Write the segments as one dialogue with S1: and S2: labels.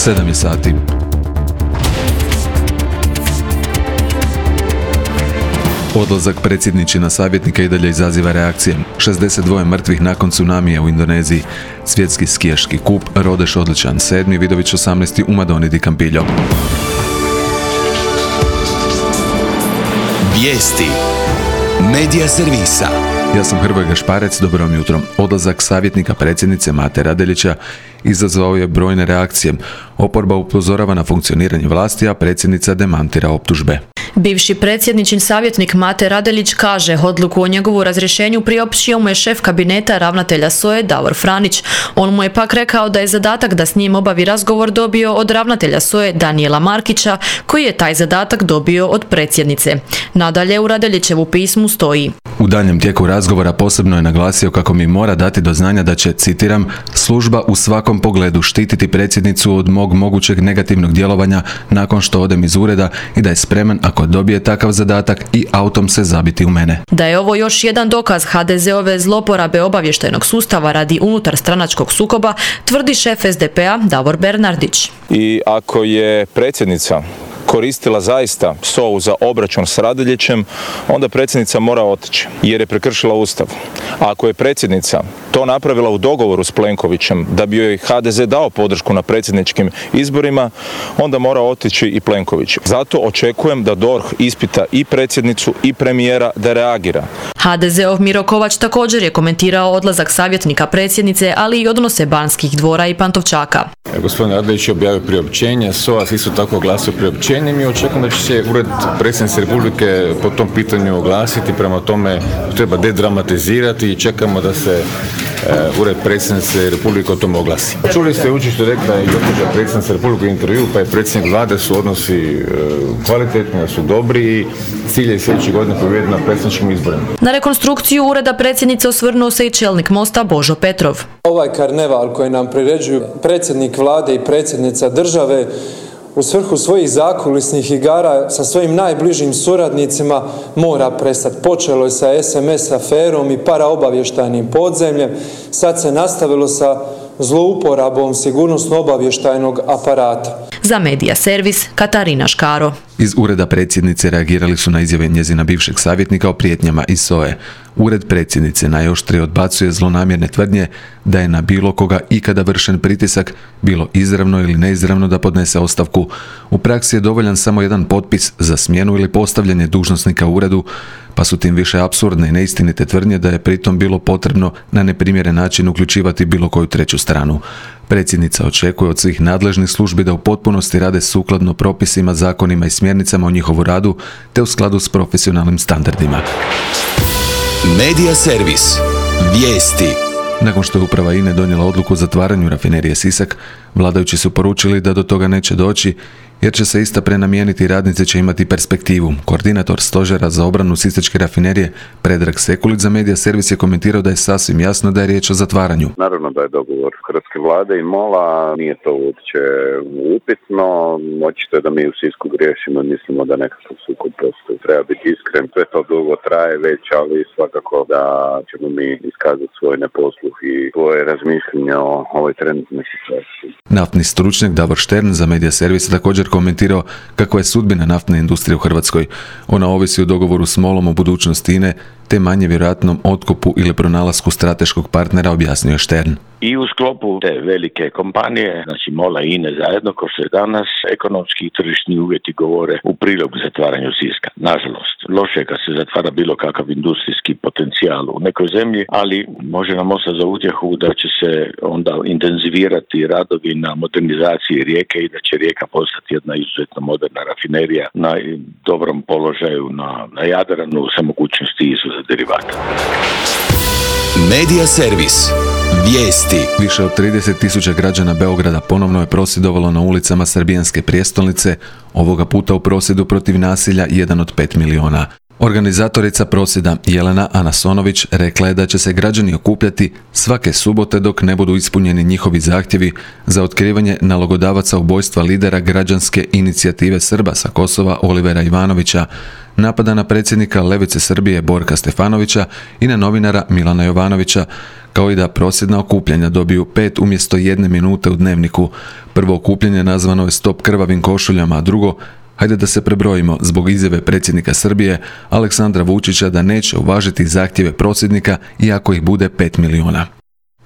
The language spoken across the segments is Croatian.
S1: 7 je sati. Odlazak predsjedničina savjetnika i dalje izaziva reakcije. 62 mrtvih nakon tsunamija u Indoneziji. Svjetski skijaški kup, Rodeš odličan 7, Vidović 18 u Madoni di Campillo.
S2: Vijesti Medija servisa.
S1: Ja sam Hrvoje Gašparec, dobro vam jutro. Odlazak savjetnika predsjednice Mate Radeljića izazvao je brojne reakcije. Oporba upozorava na funkcioniranje vlasti, a predsjednica demantira optužbe.
S3: Bivši predsjedničin savjetnik Mate Radeljić kaže odluku o njegovu razrješenju priopćio mu je šef kabineta ravnatelja SOA-e Davor Franić. On mu je pak rekao da je zadatak da s njim obavi razgovor dobio od ravnatelja SOA-e Danijela Markića, koji je taj zadatak dobio od predsjednice. Nadalje u Radeljićevu pismu stoji:
S1: U daljnjem tijeku razgovora posebno je naglasio kako mi mora dati do znanja da će, citiram, služba u svakom pogledu štititi predsjednicu od mog mogućeg negativnog djelovanja nakon što odem iz ureda i da je spreman ako dobije takav zadatak i autom se zabiti u mene.
S3: Da je ovo još jedan dokaz HDZ-ove zloporabe obavještajnog sustava radi unutarstranačkog sukoba, tvrdi šef SDP-a Davor Bernardić.
S4: I ako je predsjednica koristila zaista SOA-u za obračun s Radeljićem, onda predsjednica mora otići jer je prekršila Ustav. A ako je predsjednica to napravila u dogovoru s Plenkovićem da bi joj HDZ dao podršku na predsjedničkim izborima, onda mora otići i Plenković. Zato očekujem da DORH ispita i predsjednicu i premijera da reagira.
S3: HDZ-ov Miro Kovač također je komentirao odlazak savjetnika predsjednice, ali i odnose Banskih dvora i Pantovčaka.
S5: Gospodin Radeljić je objavio priopćenje, SOA isto tako glasio priopćenje. Mi očekujemo da će se Ured predsjednice Republike po tom pitanju oglasiti, prema tome treba dedramatizirati i čekamo da se Ured predsjednice Republike o tom oglasi. Čuli ste jučer što je rekla i gospođa predsjednica Republike u intervju, pa je predsjednik vlade, su odnosi kvalitetni, su dobri i cilj je sljedeće godine pobijediti na predsjedničkim izborima.
S3: Na rekonstrukciju ureda predsjednice osvrnuo se i čelnik Mosta Božo Petrov.
S6: Ovaj karneval koji nam priređuju predsjednik vlade i predsjednica države u svrhu svojih zakulisnih igara sa svojim najbližim suradnicima mora prestati. Počelo je sa SMS aferom i paraobavještajnim podzemljem, sad se nastavilo sa zlouporabom sigurnosno-obavještajnog aparata.
S3: Za Medija servis Katarina Škaro.
S1: Iz ureda predsjednice reagirali su na izjave njezina bivšeg savjetnika o prijetnjama iz SOA-e. Ured predsjednice najoštrije odbacuje zlonamjerne tvrdnje da je na bilo koga ikada vršen pritisak, bilo izravno ili neizravno, da podnese ostavku. U praksi je dovoljan samo jedan potpis za smjenu ili postavljanje dužnosnika u uredu, pa su tim više apsurdne i neistinite tvrdnje da je pritom bilo potrebno na neprimjeren način uključivati bilo koju treću stranu. Predsjednica očekuje od svih nadležnih službi da u potpunosti rade sukladno propisima, zakonima i smjernicama o njihovu radu, te u skladu s profesionalnim standardima.
S2: Medija servis. Vijesti.
S1: Nakon što je uprava INA-e donijela odluku o zatvaranju rafinerije Sisak, vladajući su poručili da do toga neće doći, jer će se ista prenamijeniti i radnici će imati perspektivu. Koordinator stožera za obranu sisačke rafinerije Predrag Sekulić za Medija servis je komentirao da je sasvim jasno da je riječ o zatvaranju.
S7: Naravno da je dogovor hrvatske vlade i MOL-a, nije to uopće upitno. Očito je da mi u Sisku griješimo i mislimo da nekakav sukob postoji. Treba biti iskren, sve to dugo traje već, ali svakako da ćemo mi iskazati svoj neposluh i svoje razmišljenje o ovoj trenutnoj situaciji.
S1: Naftni stručnjak Davor Štern za Medija servis također komentirao kakva je sudbina naftne industrije u Hrvatskoj. Ona ovisi o dogovoru s MOL-om o budućnosti INA-e, te manje vjerojatnom otkupu ili pronalasku strateškog partnera, objasnio je Štern.
S8: I u sklopu te velike kompanije, znači MOL-a i INA-e zajedno, kao što je danas, ekonomski i tržišni uvjeti govore u prilog zatvaranju Siska. Nažalost, loše je kad se zatvara bilo kakav industrijski potencijal u nekoj zemlji, ali može nam ostati za utjehu da će se onda intenzivirati radovi na modernizaciji Rijeke i da će Rijeka postati jedna izuzetno moderna rafinerija na dobrom položaju na Jadranu sa mogućnosti izvoza derivata.
S2: Medija servis. Vijesti.
S1: Više od 30.000 građana Beograda ponovno je prosvjedovalo na ulicama srbijanske prijestolnice, ovoga puta u prosvjedu protiv nasilja 1 od 5 miliona. Organizatorica prosvjeda Jelena Anasonović rekla je da će se građani okupljati svake subote dok ne budu ispunjeni njihovi zahtjevi za otkrivanje nalogodavaca ubojstva lidera građanske inicijative Srba sa Kosova Olivera Ivanovića, napada na predsjednika Levice Srbije Borka Stefanovića i na novinara Milana Jovanovića, kao i da prosvjedna okupljanja dobiju 5 umjesto 1 minute u dnevniku. Prvo okupljanje nazvano je Stop krvavim košuljama, a drugo Hajde da se prebrojimo zbog izjave predsjednika Srbije Aleksandra Vučića da neće uvažiti zahtjeve prosvjednika iako ih bude 5 milijuna.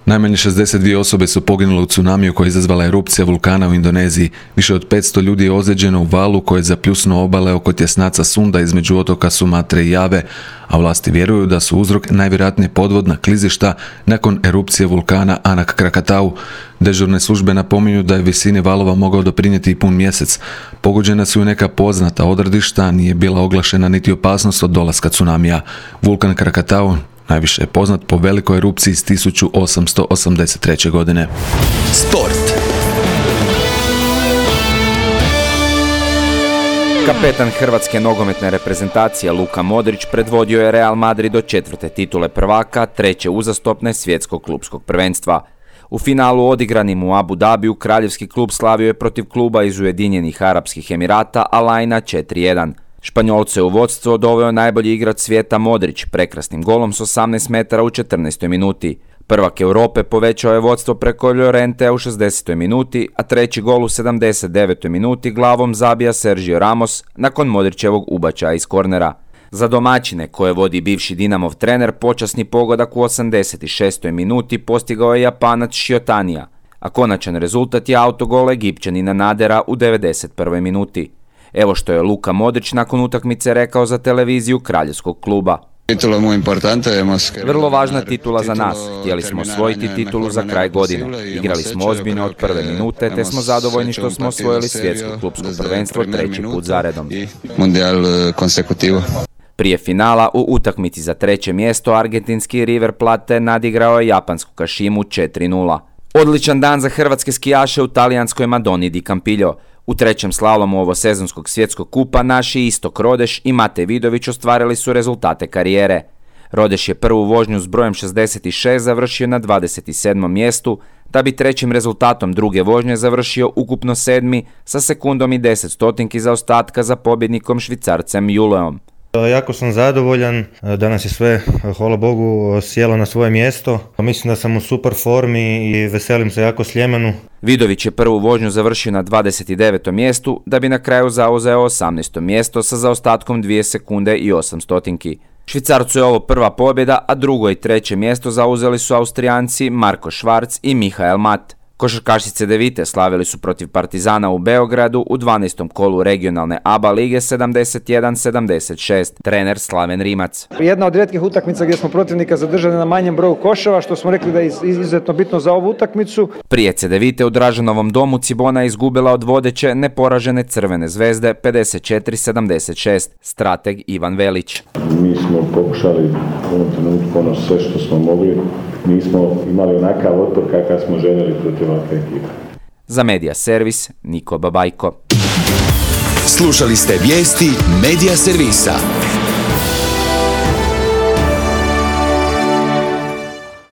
S1: Najmanje 62 osobe su poginule u tsunamiju koja je izazvala erupcija vulkana u Indoneziji. Više od 500 ljudi je ozlijeđeno u valu koje je zapljusnuo obale oko tjesnaca Sunda između otoka Sumatre i Jave, a vlasti vjeruju da su uzrok najvjerojatnije podvodna klizišta nakon erupcije vulkana Anak Krakatau. Dežurne službe napominju da je visini valova mogao doprinijeti i pun mjesec. Pogođena su i neka poznata odredišta, nije bila oglašena niti opasnost od dolaska tsunamija. Vulkan Krakatau najviše je poznat po velikoj erupciji iz 1883. godine.
S2: Sport.
S9: Kapetan hrvatske nogometne reprezentacije Luka Modrić predvodio je Real Madrid do 4. titule prvaka, 3. uzastopne svjetskog klupskog prvenstva. U finalu odigranim u Abu Dhabiju kraljevski klub slavio je protiv kluba iz Ujedinjenih Arapskih Emirata Al Aina 4-1. Španjolce u vodstvo doveo najbolji igrač svijeta Modrić prekrasnim golom s 18 metara u 14. minuti. Prvak Europe povećao je vodstvo preko Llorentea u 60. minuti, a treći gol u 79. minuti glavom zabija Sergio Ramos nakon Modrićevog ubačaja iz kornera. Za domaćine, koje vodi bivši Dinamov trener, počasni pogodak u 86. minuti postigao je Japanac Shiotanija, a konačan rezultat je autogol Egipćanina Nadera u 91. minuti. Evo što je Luka Modrić nakon utakmice rekao za televiziju kraljevskog kluba. Vrlo važna titula za nas. Htjeli smo osvojiti titulu za kraj godine. Igrali smo ozbiljno od prve minute, te smo zadovoljni što smo osvojili svjetsko klupsko prvenstvo 3. put zaredom. Prije finala u utakmici za 3. mjesto argentinski River Plate nadigrao je japansku Kashimu 4-0. Odličan dan za hrvatske skijaše u talijanskoj Madoni di Campiglio. U 3. slalomu ovosezonskog svjetskog kupa naši Istok Rodeš i Matej Vidović ostvarili su rezultate karijere. Rodeš je prvu vožnju s brojem 66 završio na 27. mjestu, da bi 3. rezultatom druge vožnje završio ukupno 7. sa sekundom i 10 stotinki zaostatka za pobjednikom Švicarcem Juleom.
S10: Jako sam zadovoljan, danas je sve, hvala Bogu, sjelo na svoje mjesto. Mislim da sam u super formi i veselim se jako Sljemenu.
S9: Vidović je prvu vožnju završio na 29. mjestu, da bi na kraju zauzeo 18. mjesto sa zaostatkom 2 sekunde i 8 stotinki. Švicarcu je ovo prva pobjeda, a drugo i 3. mjesto zauzeli su Austrijanci Marko Švarc i Mihael Mat. Košarkašice Devite slavili su protiv Partizana u Beogradu u 12. kolu regionalne ABA lige 71-76. Trener Slaven Rimac.
S11: Jedna od rijetkih utakmica gdje smo protivnika zadržali na manjem broju koševa, što smo rekli da je izuzetno bitno za ovu utakmicu.
S9: Prije Cedevite u Dražanovom domu Cibona je izgubila od vodeće neporažene Crvene zvezde 54-76. Strateg Ivan Velić.
S12: Mi smo pokušali u ovom trenutku sve što smo mogli. Nismo imali onakav otpor kakav smo željeli protiv ovakve ekipe.
S9: Za Medija Servis, Niko Babajko.
S2: Slušali ste vijesti Medija Servisa.